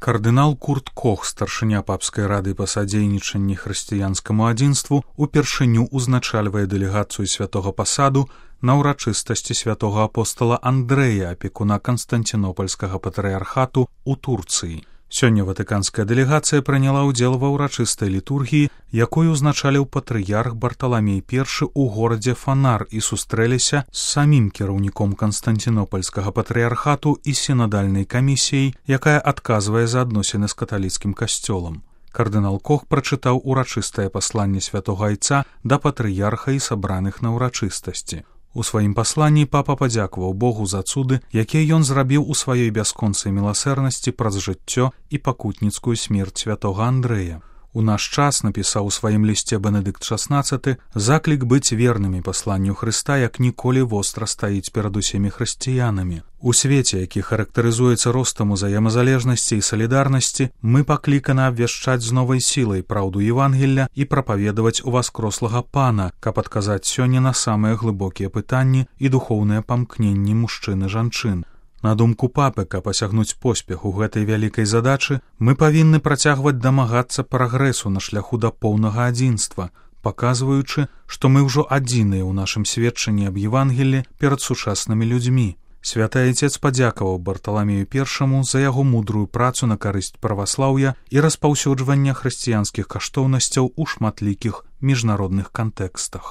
Кардынал Курт Кох, старшыня папскай рады па садзейнічанні хрысціянскаму адзінству, упершыню узначальвае дэлегацыю святога пасаду на ўрачыстасці святога апостала Андрэя, апекуна Канстанцінопальскага патрыярхату ў Турцыі. Сёння ватыканская дэлегацыя прыняла ўдзел ва ўрачыстай літургіі, якую узначаліў патрыярх Барталамей I ў горадзе Фанар і сустрэліся з самім кіраўніком Канстанцінопальскага патрыярхату і сінадальнай камісіяй, якая адказвае за адносіны з каталіцкім касцёлам. Кардынал Кох прачытаў урачыстае пасланне святога айца да патрыярха і сабраных на ўрачыстасці. У сваім пасланні папа падзякаваў Богу за цуды, якія ён зрабіў у сваёй бясконцай міласэрнасці праз жыццё і пакутніцкую смерць святога Андрэя. У наш час, напісаў у сваім лісце Бенедыкт XVI, заклік быць вернымі пасланню Хрыста як ніколі востра стаіць перад усімі хрысціянамі. У свеце, які характарызуецца ростам узаемазалежнасці і салідарнасці, мы пакліканы абвяшчаць з новай сілай праўду Евангелля і прапаведаваць уваскрослага Пана, каб адказаць сёння на самыя глыбокія пытанні і духоўныя памкненні мужчын і жанчын. На думку папы, каб асягнуць поспех у гэтай вялікай задачы, мы павінны працягваць дамагацца прагрэсу на шляху да поўнага адзінства, паказваючы, што мы ўжо адзіныя ў нашым сведчанні аб Евангеллі перад сучаснымі людзьмі. Святы Айцец падзякаваў Барталамею I за яго мудрую працу на карысць праваслаўя і распаўсюджвання хрысціянскіх каштоўнасцяў у шматлікіх міжнародных кантэкстах.